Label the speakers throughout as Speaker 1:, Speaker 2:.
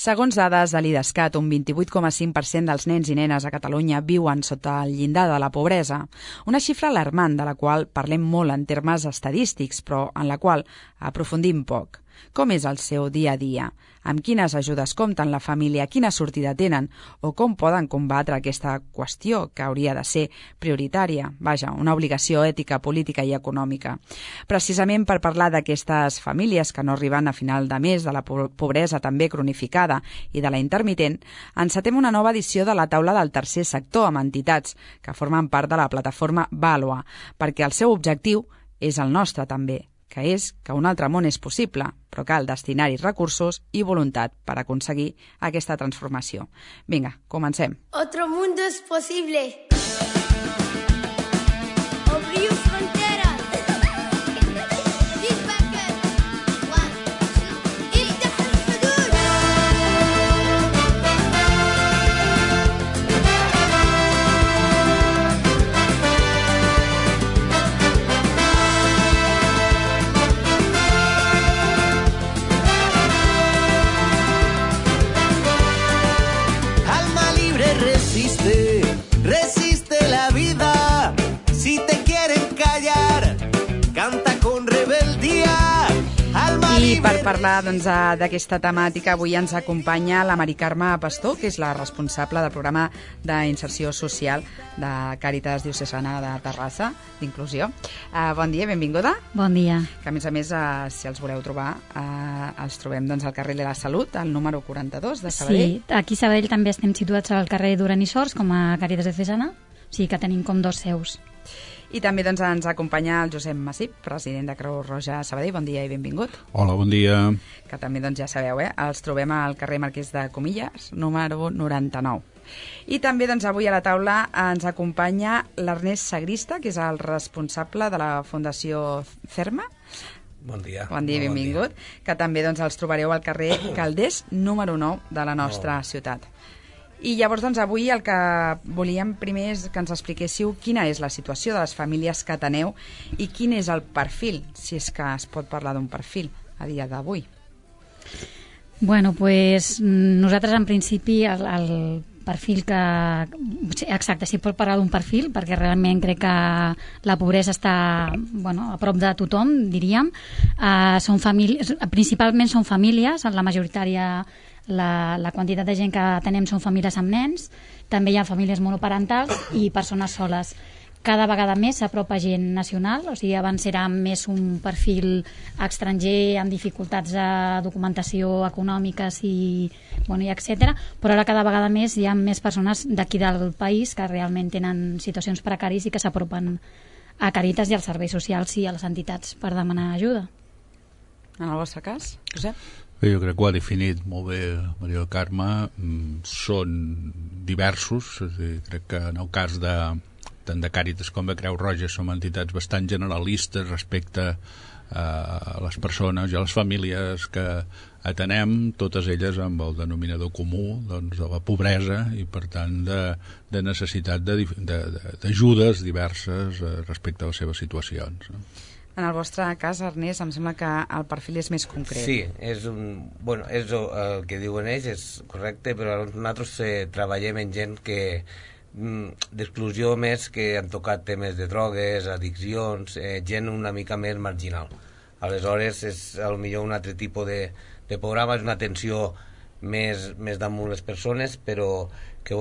Speaker 1: Segons dades de l'IDESCAT, un 28,5% dels nens i nenes a Catalunya viuen sota el llindar de la pobresa. Una xifra alarmant de la qual parlem molt en termes estadístics, però en la qual aprofundim poc. Com és el seu dia a dia? Amb quines ajudes compten la família? Quina sortida tenen? O com poden combatre aquesta qüestió que hauria de ser prioritària? Vaja, una obligació ètica, política i econòmica. Precisament per parlar d'aquestes famílies que no arriben a final de mes, de la pobresa també cronificada i de la intermitent, encetem una nova edició de la taula del tercer sector amb entitats que formen part de la plataforma Vàlua, perquè el seu objectiu és el nostre també, que és que un altre món és possible, però cal destinar-hi recursos i voluntat per aconseguir aquesta transformació. Vinga, comencem.
Speaker 2: Otro mundo es posible. Obriu fronteras.
Speaker 3: Resiste la vida. Si te quieren callar, canta con rebeldía.
Speaker 1: I per parlar d'aquesta temàtica, avui ens acompanya la Mari Carme Pastor, que és la responsable del programa d'inserció social de Càritas Diocesana de Terrassa, d'inclusió. Bon dia, benvinguda.
Speaker 4: Bon dia.
Speaker 1: Que a més, si els voleu trobar, els trobem al carrer de la Salut, al número 42 de Sabadell.
Speaker 4: Sí, aquí a Sabadell també estem situats al carrer Duran i Sors, com a Càritas Diocesana, o sigui que tenim com dos seus.
Speaker 1: I també ens acompanya el Josep Massip, president de Creu Roja Sabadell. Bon dia i benvingut.
Speaker 5: Hola, bon dia.
Speaker 1: Que també ja sabeu, els trobem al carrer Marquès de Comillas, número 99. I també avui a la taula ens acompanya l'Ernest Sagrista, que és el responsable de la Fundació Cerma.
Speaker 6: Bon dia.
Speaker 1: Bon dia i benvingut. Que també els trobareu al carrer Calders, número 9 de la nostra ciutat. I llavors, avui el que volíem primer és que ens expliquéssiu quina és la situació de les famílies que ateneu i quin és el perfil, si és que es pot parlar d'un perfil a dia d'avui.
Speaker 4: Bueno, pues nosaltres en principi el perfil que... Exacte, si pot parlar d'un perfil, perquè realment crec que la pobresa està a prop de tothom, diríem. Principalment són famílies, la majoritària... La quantitat de gent que tenem són famílies amb nens, també hi ha famílies monoparentals i persones soles. Cada vegada més s'apropa gent nacional, o sigui, abans era més un perfil estranger amb dificultats de documentació econòmiques i etcètera, però ara cada vegada més hi ha més persones d'aquí del país que realment tenen situacions precàries i que s'apropen a Càritas i als serveis socials i a les entitats per demanar ajuda.
Speaker 1: En el vostre cas, Josep?
Speaker 5: Jo crec que ho ha definit molt bé Maria Carme. Són diversos, crec que en el cas tant de Càritas com de Creu Roja som entitats bastant generalistes respecte a les persones i a les famílies que atenem, totes elles amb el denominador comú de la pobresa i per tant de necessitat d'ajudes diverses respecte a les seves situacions.
Speaker 1: En el vostre cas, Ernest, em sembla que el perfil és més concret.
Speaker 6: Sí, és el que diuen ells, és correcte, però nosaltres treballem en gent que d'exclusió més, que han tocat temes de drogues, addiccions, gent una mica més marginal. Aleshores, és potser un altre tipus de programa, és una atenció més damunt les persones, però que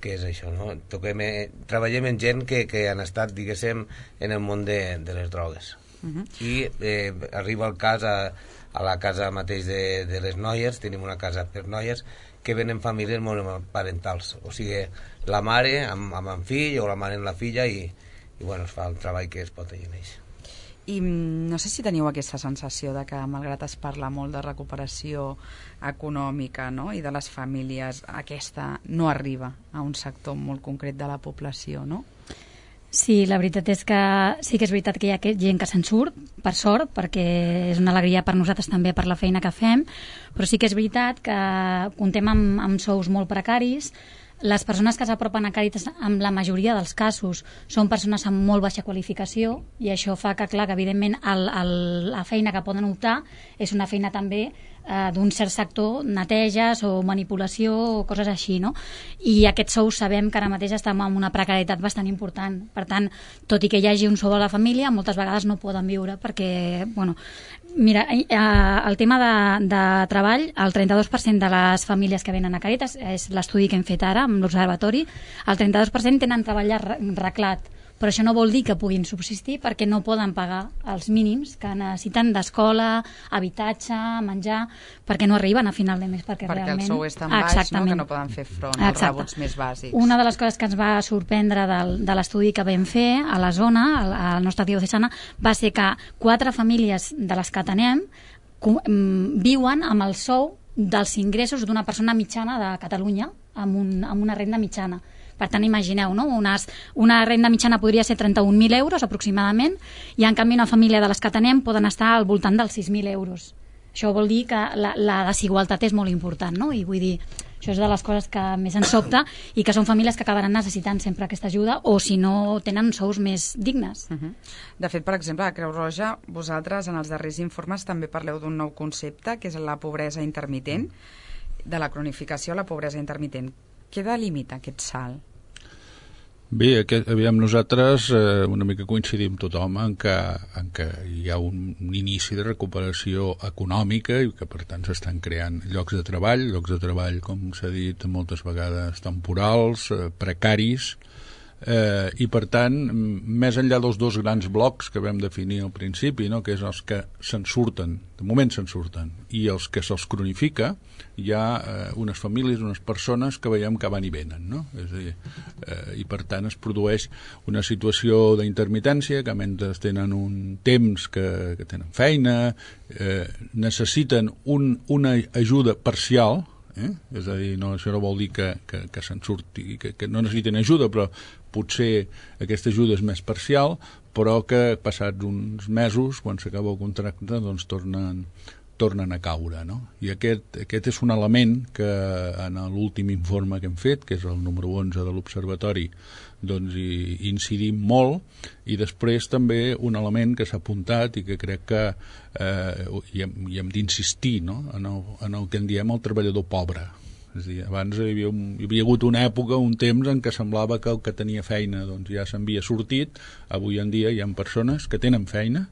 Speaker 6: és això, no? Treballem amb gent que han estat, diguéssim, en el món de les drogues. I arriba el cas a la casa mateix de les noies, tenim una casa per noies, que venen famílies monoparentals, o sigui, la mare amb el fill o la mare amb la filla i es fa el treball que es pot tenir en ells.
Speaker 1: I no sé si teniu aquesta sensació de que, malgrat es parla molt de recuperació econòmica, no?, i de les famílies, aquesta no arriba a un sector molt concret de la població, no?
Speaker 4: Sí, la veritat és que sí que és veritat que hi ha gent que se'n surt, per sort, perquè és una alegria per nosaltres també per la feina que fem, però sí que és veritat que comptem amb sous molt precaris. Les persones que s'apropen a Càritas, en la majoria dels casos, són persones amb molt baixa qualificació i això fa que, clar, que evidentment la feina que poden optar és una feina també d'un cert sector, neteges o manipulació o coses així, no? I aquests sous sabem que ara mateix estem en una precarietat bastant important. Per tant, tot i que hi hagi un sou a la família, moltes vegades no poden viure perquè, bueno, mira, el tema de treball, el 32% de les famílies que venen a Càritas, és l'estudi que hem fet ara amb l'Observatori, el 32% tenen treball reglat, però això no vol dir que puguin subsistir perquè no poden pagar els mínims que necessiten d'escola, habitatge, menjar, perquè no arriben a final de mes. Perquè realment...
Speaker 1: el sou és tan baix, no, que no poden fer front als rebuts més bàsics.
Speaker 4: Una de les coses que ens va sorprendre de l'estudi que vam fer a la zona, al nostre diocesana, va ser que 4 famílies de les que atenem viuen amb el sou dels ingressos d'una persona mitjana de Catalunya, amb una renda mitjana. Per tant, imagineu, no? Una renda mitjana podria ser 31.000 euros aproximadament, i en canvi una família de les que tenem poden estar al voltant dels 6.000 euros. Això vol dir que la desigualtat és molt important, no? I vull dir, això és de les coses que més ens sobta, i que són famílies que acabaran necessitant sempre aquesta ajuda, o si no tenen sous més dignes.
Speaker 1: De fet, per exemple, a Creu Roja, vosaltres en els darrers informes també parleu d'un nou concepte, que és la pobresa intermitent, de la cronificació a la pobresa intermitent. Què delimita aquest salt?
Speaker 5: Bé, aviam, nosaltres una mica coincidim tothom en que hi ha un inici de recuperació econòmica i que per tant s'estan creant llocs de treball, com s'ha dit moltes vegades, temporals, precaris, i per tant, més enllà dels 2 grans blocs que vam definir al principi, no? Que és els que se'n surten, de moment se'n surten, i els que se'ls cronifica, hi ha unes famílies, unes persones que veiem que van i venen, no? És a dir, i per tant es produeix una situació d'intermitència, que mentre tenen un temps que tenen feina, necessiten una ajuda parcial, és a dir, això no vol dir que se'n surti, que no necessiten ajuda, però potser aquesta ajuda és més parcial, però que passats uns mesos, quan s'acaba el contracte, doncs tornen a caure, no? I aquest és un element que en l'últim informe que hem fet, que és el número 11 de l'Observatori, doncs hi incidim molt, i després també un element que s'ha apuntat i que crec que hi hem d'insistir, no? En el que en diem el treballador pobre. És a dir, abans hi havia hagut una època, un temps en què semblava que el que tenia feina doncs ja s'havia sortit. Avui en dia hi ha persones que tenen feina,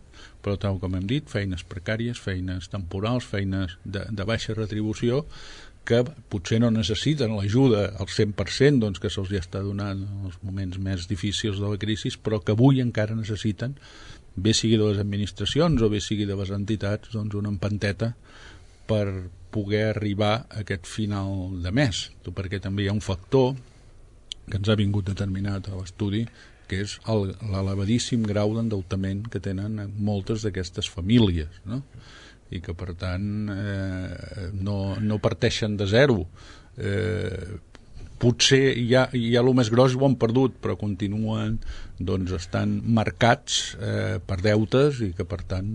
Speaker 5: però tal com hem dit, feines precàries, feines temporals, feines de baixa retribució, que potser no necessiten l'ajuda al 100%, doncs, que se'ls ja està donant en els moments més difícils de la crisi, però que avui encara necessiten, bé sigui de les administracions o bé sigui de les entitats, doncs una empenteta per poder arribar a aquest final de mes, perquè també hi ha un factor que ens ha vingut determinat a l'estudi, que és l'elevadíssim grau d'endeutament que tenen moltes d'aquestes famílies, no? I que per tant no parteixen de zero. Potser ja el més gros ho han perdut, però continuen, doncs, estan marcats per deutes i que per tant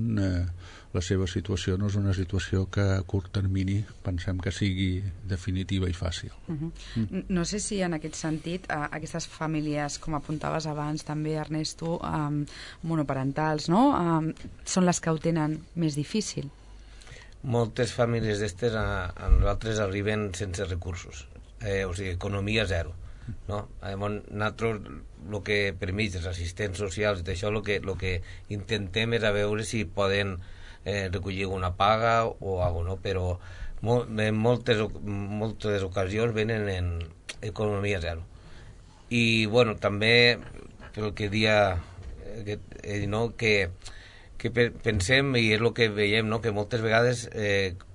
Speaker 5: la seva situació no és una situació que a curt termini pensem que sigui definitiva i fàcil.
Speaker 1: No sé si en aquest sentit aquestes famílies, com apuntaves abans també, Ernesto, monoparentals, no? Són les que ho tenen més difícil.
Speaker 6: Moltes famílies d'estes a nosaltres arriben sense recursos, o sigui, economia zero, no? Nosaltres, el que per mig dels assistents socials i d'això, el que intentem és a veure si poden recollir una paga o alguna cosa, però en moltes ocasions venen en economia zero. I bueno, també el que dia que pensem, i és el que veiem, no? Que moltes vegades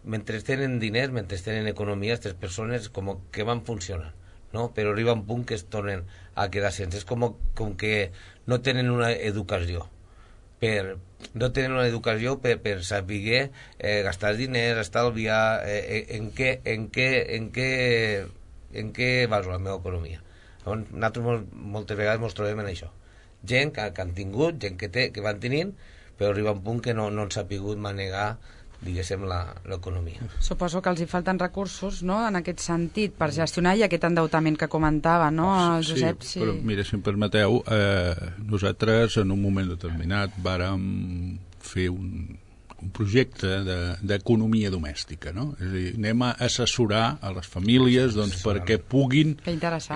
Speaker 6: mentre tenen diners, mentre tenen economia, aquestes persones com que van funcionant, no? Però arriba un punt que es tornen a quedar sense. És com que no tenen una educació per saber gastar diners, estalviar, en què baso la meva economia. Nosaltres moltes vegades ens trobem en això. Gent que han tingut, gent que van tenint, però arriba un punt que no han sabut manegar, diguéssim, l'economia.
Speaker 1: Suposo que els hi falten recursos, no?, en aquest sentit, per gestionar i aquest endeutament que comentava, no, el Josep?
Speaker 5: Sí, però mira, si em permeteu, nosaltres en un moment determinat vàrem fer un projecte d'economia domèstica, no? És a dir, anem a assessorar a les famílies perquè puguin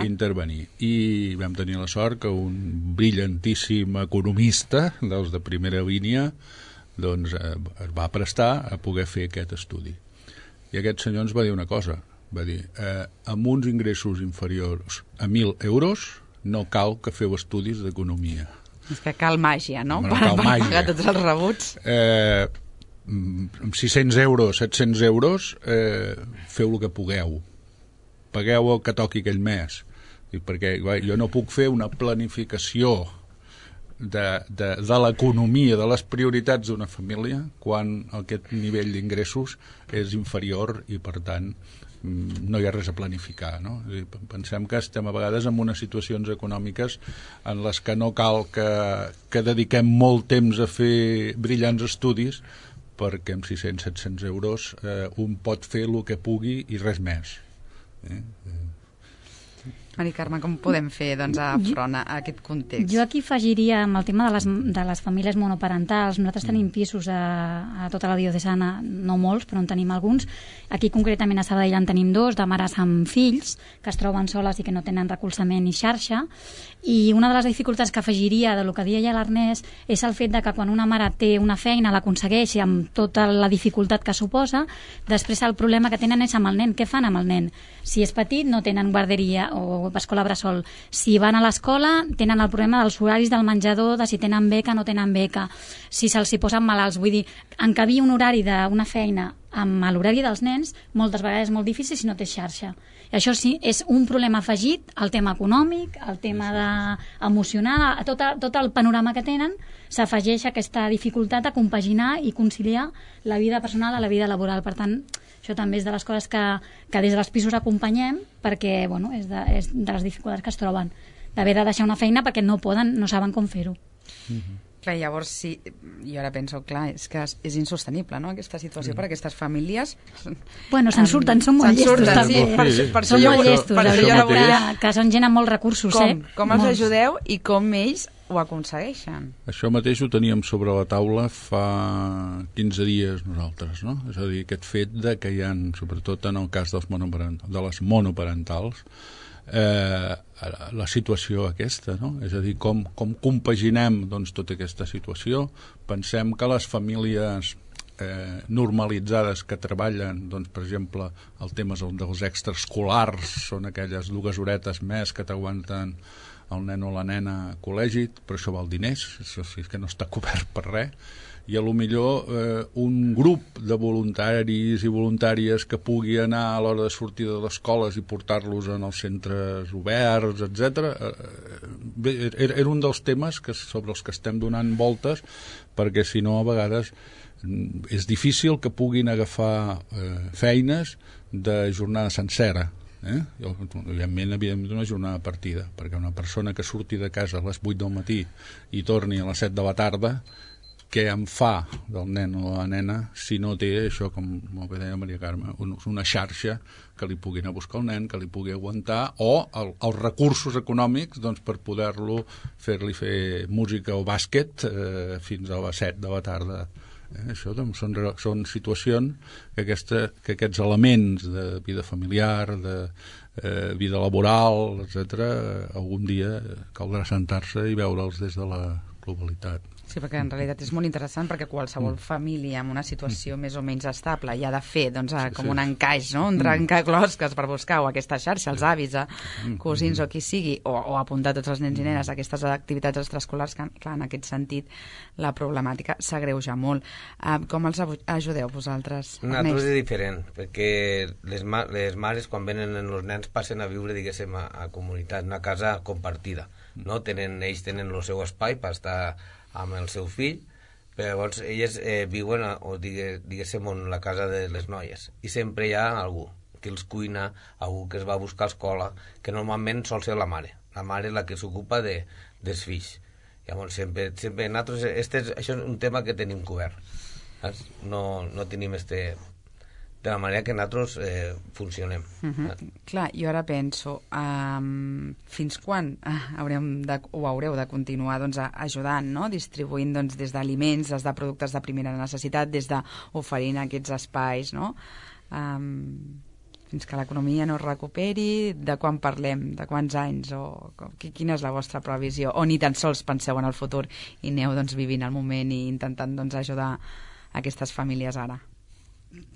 Speaker 5: intervenir. I vam tenir la sort que un brillantíssim economista dels de primera línia es va prestar a poder fer aquest estudi. I aquest senyor ens va dir una cosa, va dir, amb uns ingressos inferiors a 1.000 euros no cal que feu estudis d'economia.
Speaker 1: És que cal màgia, no?
Speaker 5: Cal màgia.
Speaker 1: Pagar tots els rebuts.
Speaker 5: Amb 600 euros, 700 euros, feu el que pugueu. Pagueu el que toqui aquell mes. Perquè jo no puc fer una planificació de l'economia, de les prioritats d'una família, quan aquest nivell d'ingressos és inferior i, per tant, no hi ha res a planificar, no? Pensem que estem a vegades en unes situacions econòmiques en les que no cal que dediquem molt temps a fer brillants estudis, perquè amb 600-700 euros un pot fer el que pugui i res més.
Speaker 1: Mari Carme, com podem fer front a aquest context?
Speaker 4: Jo aquí afegiria amb el tema de les famílies monoparentals. Nosaltres tenim pisos a tota la diocesana, no molts, però en tenim alguns. Aquí concretament a Sabadell en tenim 2, de mares amb fills, que es troben soles i que no tenen recolzament ni xarxa. I una de les dificultats que afegiria de lo que deia l'Ernest és el fet de que quan una mare té una feina, l'aconsegueix amb tota la dificultat que suposa, després el problema que tenen és amb el nen. Què fan amb el nen? Si és petit no tenen guarderia o escola bressol. Si van a l'escola tenen el problema dels horaris del menjador, de si tenen beca o no tenen beca, si se'ls hi posen malalts. Vull dir, encabir un horari d'una feina amb l'horari dels nens moltes vegades és molt difícil si no té xarxa. I això sí, és un problema afegit al tema econòmic, al tema emocional, a tot el panorama que tenen, s'afegeix aquesta dificultat a compaginar i conciliar la vida personal a la vida laboral. Per tant, això també és de les coses que des dels pisos acompanyem, perquè és de les dificultats que es troben, d'haver de deixar una feina perquè no saben com fer-ho.
Speaker 1: Clar, llavors, sí, jo ara penso, clar, és que és insostenible, no?, aquesta situació per a aquestes famílies.
Speaker 4: Bueno, se'n surten, són molt llestos, també. Són molt llestos, que són gent amb molts recursos,
Speaker 1: Com els ajudeu i com ells ho aconsegueixen?
Speaker 5: Això mateix ho teníem sobre la taula fa 15 dies nosaltres, no? És a dir, aquest fet de que hi ha, sobretot en el cas de les monoparentals, la situació aquesta, no? És a dir, com compaginem tota aquesta situació. Pensem que les famílies normalitzades que treballen, per exemple, el tema dels extraescolars, són aquelles 2 horetes més que t'aguanten el nen o la nena a col·legi, però això val diners, això sí que no està cobert per res, i a lo millor un grup de voluntaris i voluntàries que pugui anar a l'hora de sortir de les escoles i portar-los en els centres oberts, etc. Era un dels temes sobre els que estem donant voltes, perquè si no a vegades és difícil que puguin agafar feines de jornada sencera. Evidentment una jornada partida, perquè una persona que surti de casa a les 8 del matí i torni a les 7 de la tarda, què en fa del nen o la nena si no té això, com molt bé deia Maria Carme, una xarxa que li pugui anar a buscar el nen, que li pugui aguantar, o els recursos econòmics per poder-lo fer-li fer música o bàsquet fins a les 7 de la tarda. Això són situacions que aquests elements de vida familiar, de vida laboral, etc., algun dia caldrà sentar-se i veure'ls des de la globalitat.
Speaker 1: Sí, perquè en realitat és molt interessant, perquè qualsevol família en una situació més o menys estable hi ha de fer com un encaix, no? Un trencaclosques per buscar o aquesta xarxa, els avis, cosins o qui sigui, o apuntar tots els nens i nenes a aquestes activitats extraescolars, que clar, en aquest sentit la problemàtica s'agreuja molt. Com els ajudeu vosaltres?
Speaker 6: Nosaltres és diferent, perquè les mares quan venen els nens passen a viure, diguéssim, a comunitat, una casa compartida, no? Ells tenen el seu espai per estar amb el seu fill, però llavors elles viuen diguéssim en la casa de les noies, i sempre hi ha algú que els cuina, algú que es va a buscar a escola, que normalment sol ser la mare és la que s'ocupa dels fills. Llavors sempre nosaltres, això és un tema que tenim cobert, no tenim de la manera que nosaltres funcionem.
Speaker 1: Clar, jo ara penso, fins quan haureu de continuar ajudant, no? Distribuint des d'aliments, des de productes de primera necessitat, des d'oferint aquests espais, no? Fins que l'economia no es recuperi, de quan parlem, de quants anys, o quina és la vostra previsió? O ni tan sols penseu en el futur i aneu vivint el moment i intentant ajudar aquestes famílies ara?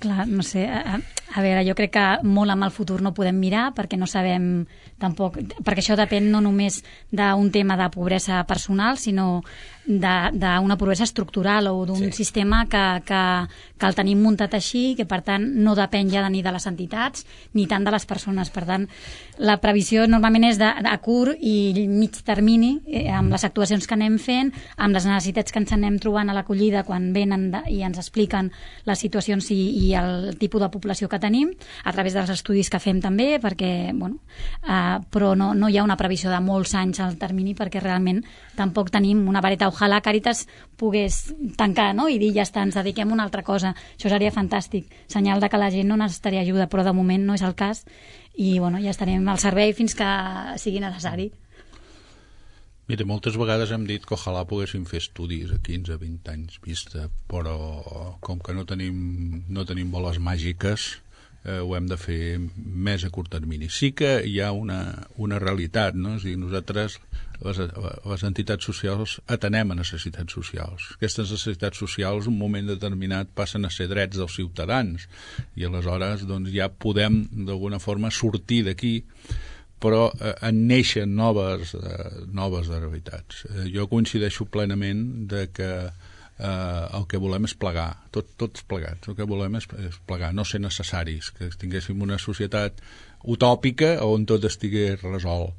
Speaker 4: Clar, no sé, a veure, jo crec que molt amb el futur no podem mirar perquè no sabem tampoc, perquè això depèn no només d'un tema de pobresa personal, sinó d'una pobresa estructural o d'un sistema que el tenim muntat així, que per tant no depèn ja ni de les entitats ni tant de les persones. Per tant, la previsió normalment és de curt i mig termini, amb les actuacions que anem fent, amb les necessitats que ens anem trobant a l'acollida quan venen i ens expliquen les situacions i el tipus de població que tenim, a través dels estudis que fem també, perquè, però no hi ha una previsió de molts anys al termini perquè realment tampoc tenim una vareta. Ojalà Càritas pogués tancar, no?, i dir ja està, ens dediquem a una altra cosa. Això seria fantàstic, senyal de que la gent no necessitaria ajuda, però de moment no és el cas i ja estarem al servei fins que sigui necessari.
Speaker 5: Mira, moltes vegades hem dit que ojalà poguéssim fer estudis a 15-20 anys vista, però com que no tenim boles màgiques, ho hem de fer més a curt termini. Sí que hi ha una realitat, no? És a dir, nosaltres, les entitats socials, atenem a necessitats socials. Aquestes necessitats socials, en un moment determinat, passen a ser drets dels ciutadans i aleshores ja podem, d'alguna forma, sortir d'aquí, però en neixen noves realitats. Jo coincideixo plenament de que el que volem és plegar, tots plegats. El que volem és plegar, no ser necessaris, que tinguéssim una societat utòpica on tot estigués resolt.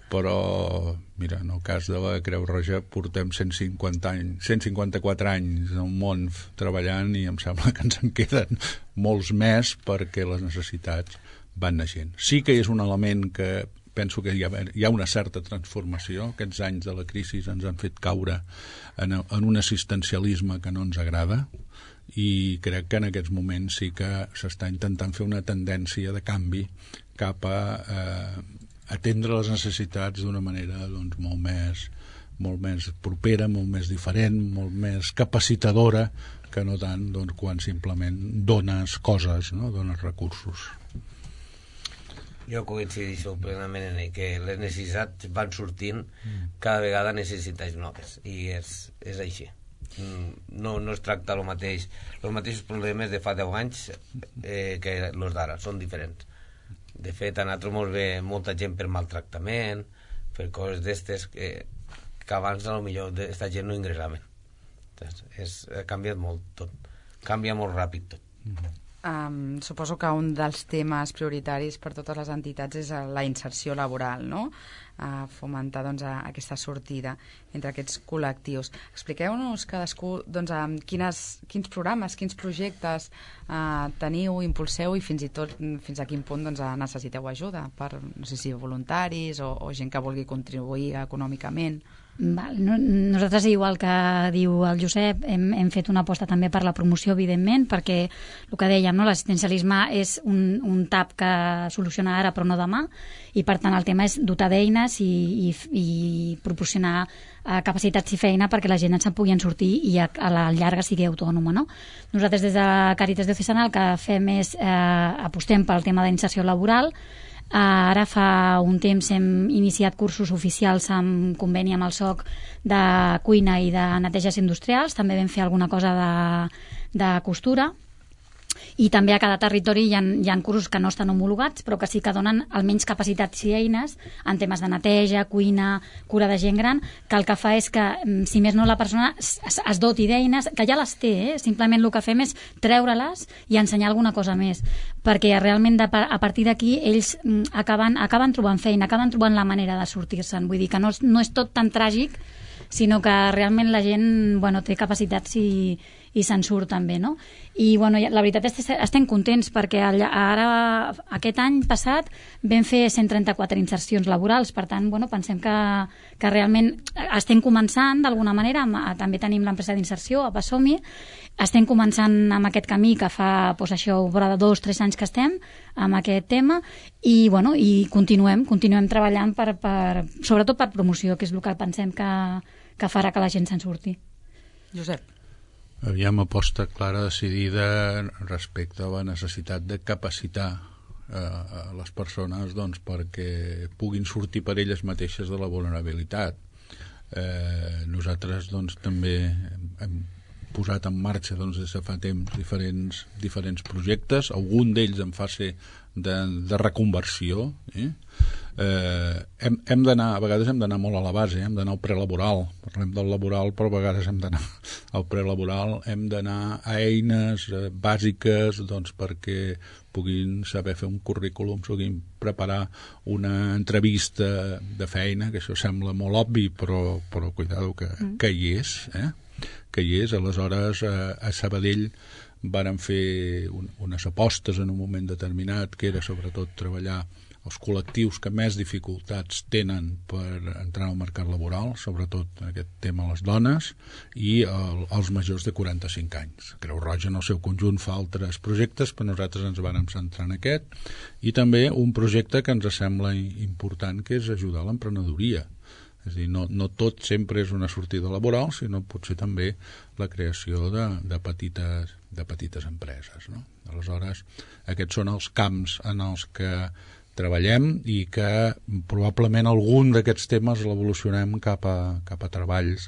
Speaker 5: Però, mira, en el cas de la Creu Roja portem 154 anys al món treballant i em sembla que ens en queden molts més perquè les necessitats van naixent. Sí que és un element que penso que hi ha una certa transformació. Aquests anys de la crisi ens han fet caure en un assistencialisme que no ens agrada i crec que en aquests moments sí que s'està intentant fer una tendència de canvi cap a atendre les necessitats d'una manera molt més propera, molt més diferent, molt més capacitadora que no tant quan simplement dones coses, no? Dones recursos.
Speaker 6: Jo coincideixo plenament en que les necessitats van sortint cada vegada necessitats noves i és així. No es tracta el mateix, els mateixos problemes de fa 10 anys que els d'ara, són diferents. De fet, a nosaltres ens ve molta gent per maltractament, per coses d'estes que abans potser aquesta gent no ingressaven. Ha canviat molt tot, canvia molt ràpid tot.
Speaker 1: Suposo que un dels temes prioritaris per totes les entitats és la inserció laboral, no? Fomentar aquesta sortida entre aquests col·lectius. Expliqueu-nos cadascú quins programes, quins projectes teniu, impulseu i fins i tot fins a quin punt necessiteu ajuda per, no sé si voluntaris o gent que vulgui contribuir econòmicament.
Speaker 4: Nosaltres, igual que diu el Josep, hem fet una aposta també per la promoció, evidentment, perquè el que dèiem, l'assistencialisme és un tap que soluciona ara però no demà, i per tant el tema és dotar d'eines i proporcionar capacitats i feina perquè la gent se'n pugui sortir i a la llarga sigui autònoma, no? Nosaltres des de Càritas Diocesana el que fem és apostem pel tema d'inserció laboral. Ara fa un temps hem iniciat cursos oficials amb conveni amb el SOC de cuina i de neteges industrials, també vam fer alguna cosa de costura i també a cada territori hi ha cursos que no estan homologats però que sí que donen almenys capacitats i eines en temes de neteja, cuina, cura de gent gran, que el que fa és que si més no la persona es doti d'eines que ja les té, simplement el que fem és treure-les i ensenyar alguna cosa més, perquè realment a partir d'aquí ells acaben trobant feina, acaben trobant la manera de sortir-se'n, vull dir que no és tot tan tràgic, sinó que realment la gent té capacitats i i se'n surt també, no? I bueno, la veritat és que estem contents perquè ara, aquest any passat, vam fer 134 insercions laborals, per tant, bueno, pensem que realment estem començant d'alguna manera, també tenim l'empresa d'inserció, a Passomi, estem començant amb aquest camí que fa, doncs això, vora de 2-3 anys que estem amb aquest tema i, bueno, i continuem treballant sobretot per promoció, que és el que pensem que farà que la gent se'n surti.
Speaker 1: Josep.
Speaker 5: Aviam, aposta clara, decidida respecte a la necessitat de capacitar a les persones doncs, perquè puguin sortir per elles mateixes de la vulnerabilitat. Nosaltres doncs, també hem posat en marxa doncs, des de fa temps diferents projectes, algun d'ells en fase de reconversió. Hem d'anar, a vegades hem d'anar molt a la base, hem d'anar al prelaboral, parlem del laboral, però a vegades hem d'anar al prelaboral, hem d'anar a eines bàsiques doncs, perquè puguin saber fer un currículum, puguin preparar una entrevista de feina, que això sembla molt obvi, però cuidado que hi és, que hi és. Aleshores, a Sabadell varen fer unes apostes en un moment determinat, que era sobretot treballar els col·lectius que més dificultats tenen per entrar al mercat laboral, sobretot aquest tema les dones, i els majors de 45 anys. Creu Roja en el seu conjunt fa altres projectes, però nosaltres ens vam centrar en aquest, i també un projecte que ens sembla important, que és ajudar a l'emprenedoria. És a dir, no tot sempre és una sortida laboral, sinó potser també la creació de petites empreses, no? Aleshores, aquests són els camps en els que treballem i que probablement algun d'aquests temes l'evolucionem cap a treballs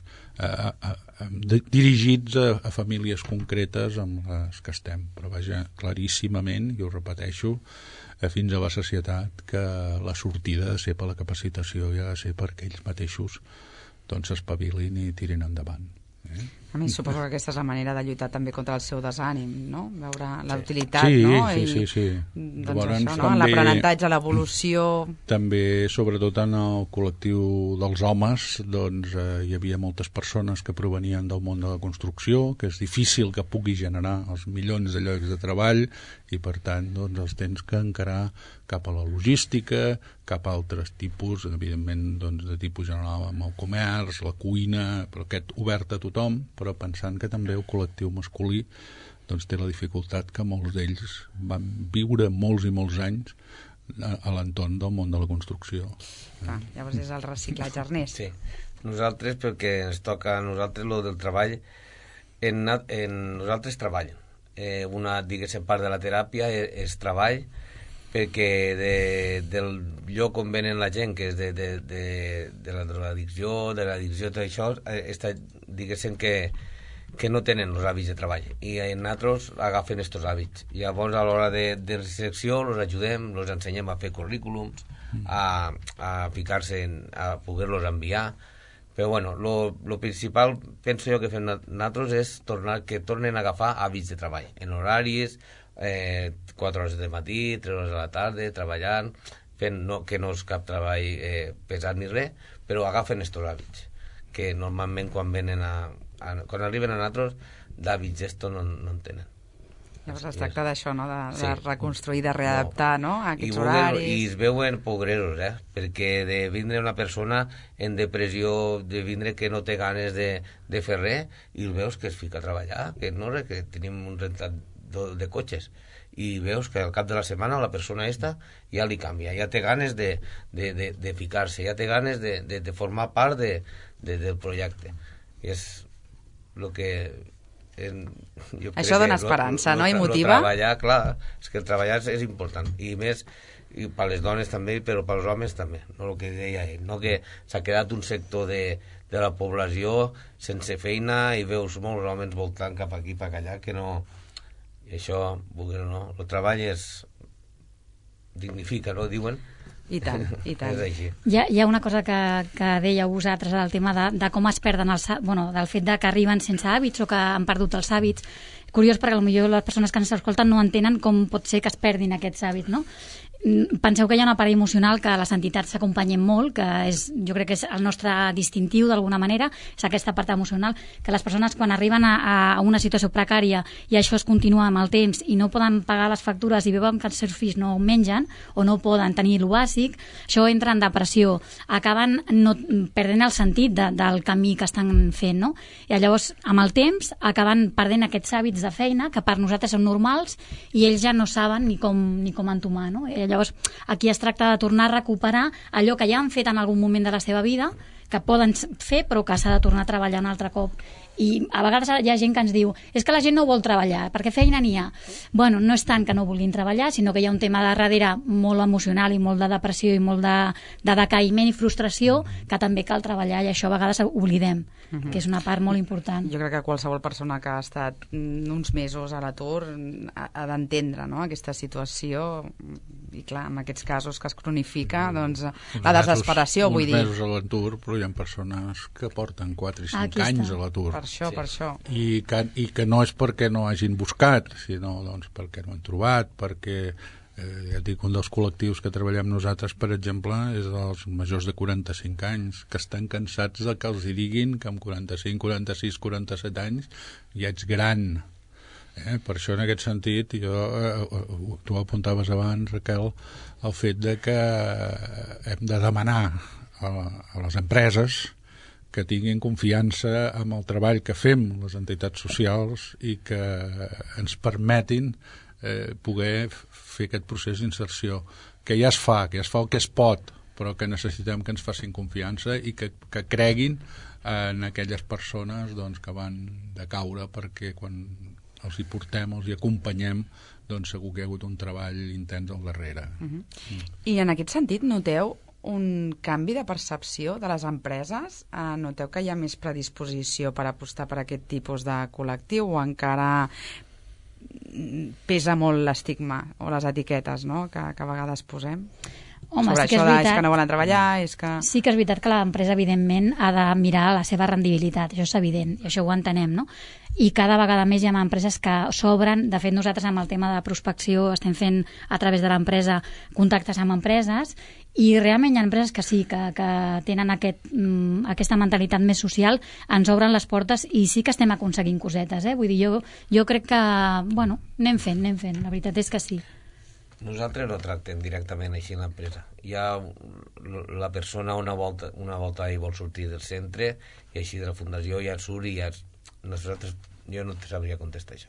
Speaker 5: dirigits a famílies concretes amb les que estem. Però vaja, claríssimament, i ho repeteixo, fins a la sacietat, que la sortida ha de ser per la capacitació i ha de ser perquè ells mateixos doncs s'espavilin i tirin endavant.
Speaker 1: A més, suposo que aquesta és la manera de lluitar també contra el seu desànim, no? Veure la utilitat,
Speaker 5: sí,
Speaker 1: no?
Speaker 5: Sí.
Speaker 1: Doncs
Speaker 5: llavors,
Speaker 1: això, no? L'aprenentatge, l'evolució...
Speaker 5: També, sobretot en el col·lectiu dels homes, doncs hi havia moltes persones que provenien del món de la construcció, que és difícil que pugui generar els milions de llocs de treball, i per tant doncs, els tens que encarar cap a la logística, cap a altres tipus, evidentment doncs, de tipus general amb el comerç, la cuina, però aquest obert a tothom, però pensant que també el col·lectiu masculí doncs, té la dificultat que molts d'ells van viure molts i molts anys a l'entorn del món de la construcció.
Speaker 1: Llavors és el reciclatge, Ernest.
Speaker 6: Sí, nosaltres, perquè ens toca a nosaltres lo del treball, nosaltres treballem. Una, diguéssim, part de la teràpia és treball, perquè del lloc on venen la gent, que és de la drogadicció, de l'addicció, tot això, diguéssim que no tenen els hàbits de treball, i nosaltres agafen aquests hàbits. I llavors, a l'hora de selecció, els ajudem, els ensenyem a fer currículums, a ficar-se, a poder-los enviar. Però, bueno, lo principal, penso jo, que fem nosaltres és que tornen a agafar hàbits de treball, en horaris, 4 hores de matí, 3 hores a la tarda, treballant, fent que no és cap treball pesat ni res, però agafen estos hàbits, que normalment quan arriben a nosaltres, d'hàbits estos no en tenen.
Speaker 1: Llavors es tracta d'això, no? De reconstruir, de readaptar, no? Aquests horaris...
Speaker 6: I es veuen pobreros, perquè de vindre una persona en depressió, de vindre que no té ganes de fer res, i el veus que es fica a treballar, que no res, que tenim un rentat de cotxes, i veus que al cap de la setmana la persona esta ja li canvia, ja té ganes de ficar-se, ja té ganes de formar part del projecte. I és el que...
Speaker 1: Això dona esperança, no? I motiva?
Speaker 6: Treballar, clar, és que el treballar és important, i més per les dones també, però per als homes també, no el que deia ell, no? Que s'ha quedat un sector de la població sense feina i veus molts homes voltant cap aquí, cap allà, que no... I això, no? El treball dignifica, no? Diuen.
Speaker 1: I tant, i tant.
Speaker 6: És així.
Speaker 4: Hi ha una cosa que dèieu vosaltres, el tema de com es perden del fet de que arriben sense hàbits o que han perdut els hàbits. curiós perquè potser les persones que ens escolten no entenen com pot ser que es perdin aquests hàbits, no? Penseu que hi ha una part emocional que les entitats s'acompanyen molt, que jo crec que és el nostre distintiu d'alguna manera, és aquesta part emocional, que les persones quan arriben a una situació precària i això es continua amb el temps i no poden pagar les factures i veuen que els seus fills no mengen o no poden tenir el bàsic, això entra en depressió, acaben perdent el sentit del camí que estan fent, no? I llavors amb el temps acaben perdent aquests hàbits de feina que per nosaltres són normals i ells ja no saben ni com entomar, no? Llavors, aquí es tracta de tornar a recuperar allò que ja han fet en algun moment de la seva vida, que poden fer, però que s'ha de tornar a treballar un altre cop. I a vegades hi ha gent que ens diu és que la gent no vol treballar, perquè feina n'hi ha. Bueno, no és tant que no vulguin treballar, sinó que hi ha un tema de darrere molt emocional i molt de depressió i molt de decaïment i frustració que també cal treballar i això a vegades oblidem, que és una part molt important.
Speaker 1: Jo crec que qualsevol persona que ha estat uns mesos a l'atur ha d'entendre, no?, aquesta situació i clar, en aquests casos que es cronifica, doncs la desesperació, vull dir.
Speaker 5: Uns mesos a l'atur, però hi ha persones que porten 4 i 5 anys a l'atur.
Speaker 1: Per això.
Speaker 5: I que no és perquè no hagin buscat, sinó doncs, perquè no han trobat, perquè ja et dic, un dels col·lectius que treballem nosaltres, per exemple, és dels majors de 45 anys, que estan cansats de que els hi diguin que amb 45, 46, 47 anys ja ets gran. Per això, en aquest sentit, tu ho apuntaves abans, Raquel, el fet de que hem de demanar a les empreses que tinguin confiança en el treball que fem les entitats socials i que ens permetin poder fer aquest procés d'inserció, que ja es fa el que es pot, però que necessitem que ens facin confiança i que creguin en aquelles persones doncs, que van de caure, perquè quan els hi portem, els hi acompanyem, doncs segur que hi ha hagut un treball intens al darrere.
Speaker 1: I en aquest sentit noteu un canvi de percepció de les empreses? Noteu que hi ha més predisposició per apostar per aquest tipus de col·lectiu o encara pesa molt l'estigma o les etiquetes, no?, que a vegades posem?
Speaker 4: Home,
Speaker 1: sobre
Speaker 4: sí que
Speaker 1: això
Speaker 4: és veritat.
Speaker 1: és que no volen treballar, és que...
Speaker 4: Sí que és veritat que l'empresa, evidentment, ha de mirar la seva rendibilitat, això és evident, i això ho entenem, no? I cada vegada més hi ha empreses que s'obren. De fet, nosaltres amb el tema de prospecció estem fent a través de l'empresa contactes amb empreses i realment hi ha empreses que sí, que tenen aquesta mentalitat més social, ens obren les portes i sí que estem aconseguint cosetes, Vull dir, jo crec que, bueno, anem fent, la veritat és que sí.
Speaker 6: Nosaltres no tractem directament així en l'empresa. La persona una volta i vol sortir del centre i així de la fundació ja surt i ja... Jo no te sabria contestar això.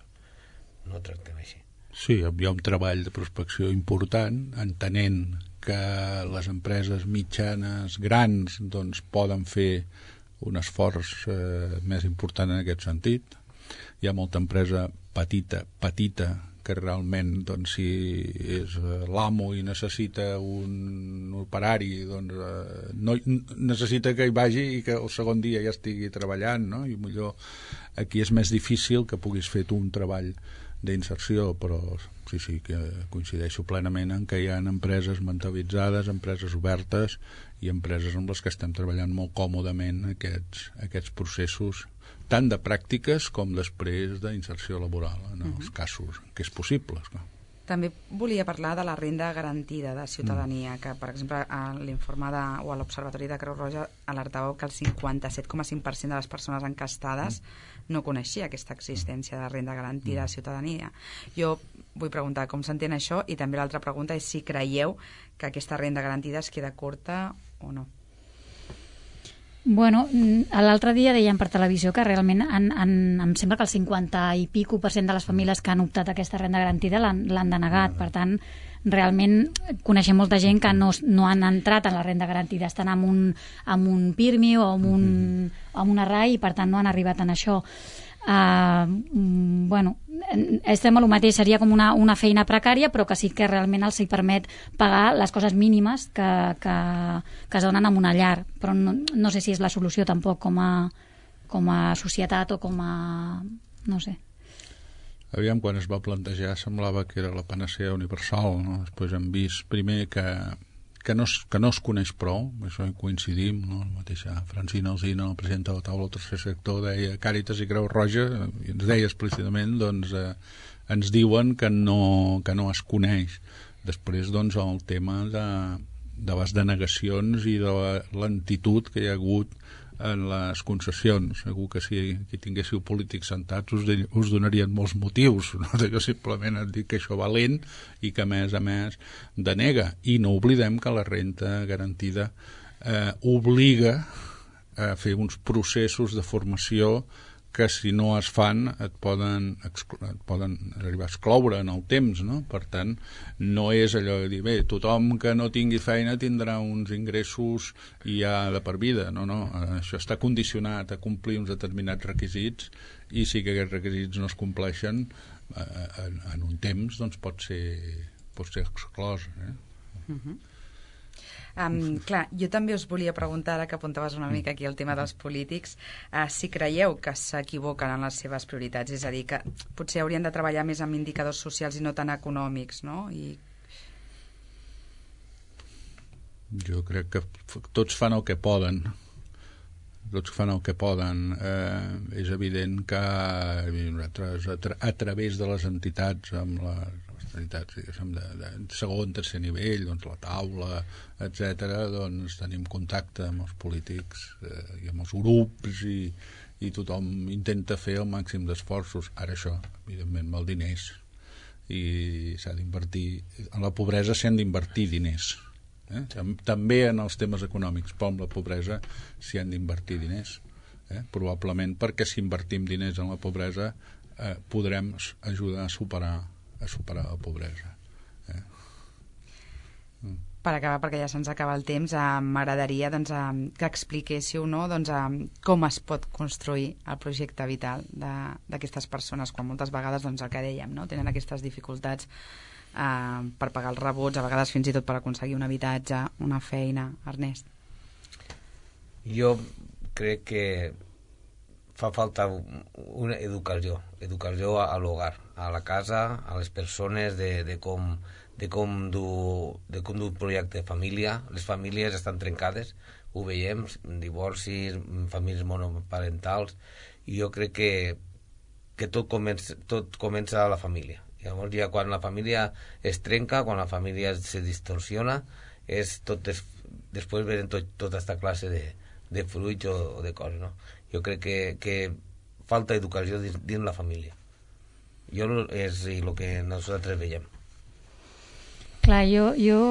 Speaker 6: No tractem així.
Speaker 5: Sí, hi ha un treball de prospecció important, entenent que les empreses mitjanes, grans, doncs poden fer un esforç més important en aquest sentit. Hi ha molta empresa petita, que realment, doncs, si és l'amo i necessita un operari, doncs no necessita que hi vagi i que el segon dia ja estigui treballant, no? I millor aquí és més difícil que puguis fer tu un treball d'inserció, però sí que coincideixo plenament en que hi ha empreses mentalitzades, empreses obertes i empreses amb les que estem treballant molt còmodament aquests processos tant de pràctiques com després d'inserció laboral en els casos que és possible.
Speaker 1: També volia parlar de la renda garantida de ciutadania, que per exemple a l'informe o a l'Observatori de Creu Roja alertàveu que el 57,5% de les persones encastades no coneixia aquesta existència de renda garantida de ciutadania. Jo vull preguntar com s'entén això i també l'altra pregunta és si creieu que aquesta renda garantida es queda curta o no.
Speaker 4: Bueno, l'altre dia deien per televisió que realment em sembla que el 50 i pico % de les famílies que han optat a aquesta renda garantida l'han denegat. Per tant, realment coneixem molta gent que no han entrat en la renda garantida, estan amb un PIRMI o amb una RAI i per tant no han arribat en això. Bueno, estem a lo mateix, seria com una feina precària, però que sí que realment els hi permet pagar les coses mínimes que es donen en una llar, però no sé si és la solució tampoc com a societat o com a... no sé.
Speaker 5: Aviam, quan es va plantejar semblava que era la panacea universal, no? Després hem vist primer que que no es coneix prou, això hi coincidim, no? La mateixa Francina Alsina, la presidenta de la taula del tercer sector, deia Càritas i Creu Roja, i ens deia explícitament, doncs, ens diuen que no es coneix. Després, doncs, el tema de les denegacions i de la lentitud que hi ha hagut en les concessions. Segur que si tinguéssiu polítics sentats us donarien molts motius, no? Jo simplement et dic que això va lent i que a més denega. I no oblidem que la renda garantida obliga a fer uns processos de formació que si no es fan et poden arribar a excloure en el temps, no? Per tant, no és allò de dir, bé, tothom que no tingui feina tindrà uns ingressos i ja de per vida, no, això està condicionat a complir uns determinats requisits i si que aquests requisits no es compleixen en un temps, doncs pot ser exclòs,
Speaker 1: Clar, jo també us volia preguntar, ara que apuntaves una mica aquí el tema dels polítics, si creieu que s'equivoquen en les seves prioritats, és a dir, que potser haurien de treballar més amb indicadors socials i no tan econòmics, no?
Speaker 5: Jo crec que tots fan el que poden. És evident que nosaltres, a través de les entitats, amb les entitats de segon, tercer nivell, doncs la taula, etc., doncs tenim contacte amb els polítics i amb els grups i tothom intenta fer el màxim d'esforços. Ara això, evidentment, amb els diners, i s'ha d'invertir. En la pobresa s'han d'invertir diners. També en els temes econòmics, però amb la pobresa s'hi han d'invertir diners. Probablement perquè si invertim diners en la pobresa podrem ajudar a superar la pobresa.
Speaker 1: Per acabar, perquè ja se'ns acaba el temps, m'agradaria que expliquéssiu com es pot construir el projecte vital d'aquestes persones, quan moltes vegades el que dèiem, tenen aquestes dificultats per pagar els rebots, a vegades fins i tot per aconseguir un habitatge, una feina. Ernest?
Speaker 6: Jo crec que fa falta una educació a l'hogar, a la casa, a les persones, de com dur un projecte de família. Les famílies estan trencades, ho veiem, divorcis, famílies monoparentals, i jo crec que tot comença a la família. Llavors, ja quan la família es trenca, quan la família se distorsiona, després venen tota aquesta classe de fruits o de coses, no? Jo crec que falta educació dins la família. És el que nosaltres veiem.
Speaker 4: Clar, jo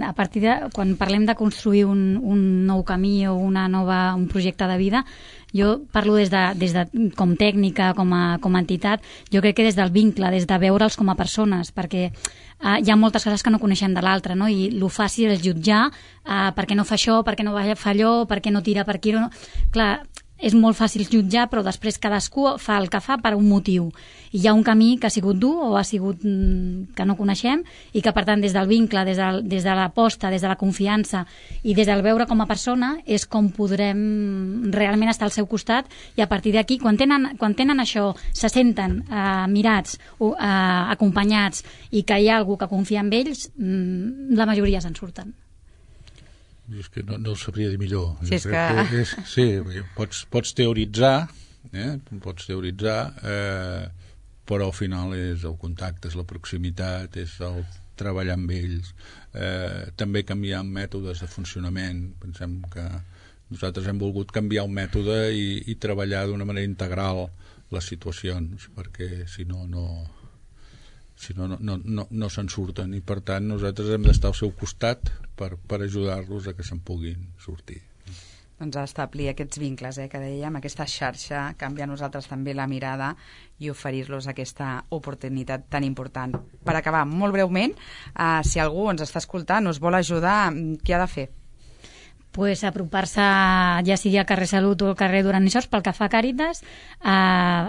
Speaker 4: a partir de... Quan parlem de construir un nou camí o un projecte de vida, jo parlo des de com tècnica, com a entitat, jo crec que des del vincle, des de veure'ls com a persones, perquè hi ha moltes coses que no coneixem de l'altre, no? I el fàcil és jutjar per què no fa això, per què no fa allò, per què no tira per aquí. No? Clar, és molt fàcil jutjar, però després cadascú fa el que fa per un motiu. I hi ha un camí que ha sigut dur o ha sigut que no coneixem i que, per tant, des del vincle, des de l'aposta, des de la confiança i des del veure com a persona és com podrem realment estar al seu costat, i a partir d'aquí, quan tenen això, se senten mirats, acompanyats, i que hi ha algú que confia en ells, la majoria se'n surten.
Speaker 5: És que no ho sabria dir millor.
Speaker 1: Sí,
Speaker 5: sí, pots teoritzar, però al final és el contacte, és la proximitat, és el treballar amb ells, també canviar mètodes de funcionament. Pensem que nosaltres hem volgut canviar un mètode i treballar d'una manera integral les situacions, perquè si no se'n surten, i per tant nosaltres hem d'estar al seu costat per ajudar-los a que se'n puguin sortir.
Speaker 1: Doncs a establir aquests vincles que dèiem, aquesta xarxa, canviar nosaltres també la mirada i oferir-los aquesta oportunitat tan important. Per acabar, molt breument, si algú ens està escoltant, us vol ajudar, què ha de fer?
Speaker 4: Pues apropar-se, ja sigui al carrer Salut o al carrer Duran i Sors, pel que fa a Càritas,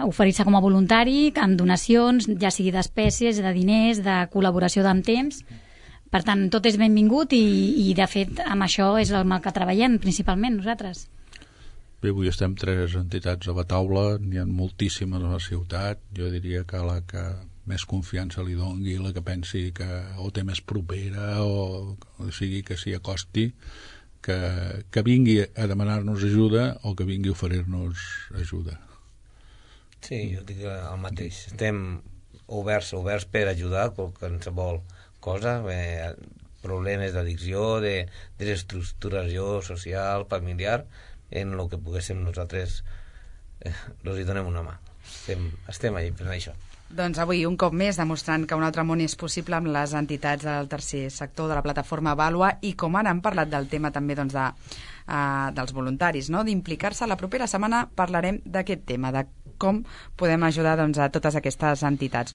Speaker 4: oferir-se com a voluntari, amb donacions, ja sigui d'espècies, de diners, de col·laboració amb temps. Per tant, tot és benvingut i de fet, amb això és el que treballem principalment nosaltres.
Speaker 5: Bé, avui estem 3 entitats a la taula, n'hi ha moltíssimes a la ciutat. Jo diria que la que més confiança li dongui, la que pensi que o té més propera o sigui que s'hi acosti, que vingui a demanar-nos ajuda o que vingui a oferir-nos ajuda.
Speaker 6: Sí, jo dic el mateix. Estem oberts per ajudar qualsevol cosa, problemes d'addicció, de desestructuració social, familiar, en el que poguéssim nosaltres els hi donem una mà. Estem allà per això.
Speaker 1: Doncs avui, un cop més, demostrant que un altre món és possible amb les entitats del tercer sector, de la plataforma Vàlua, i com ara hem parlat del tema també doncs, dels voluntaris, no? D'implicar-se. La propera setmana parlarem d'aquest tema, de com podem ajudar doncs, a totes aquestes entitats.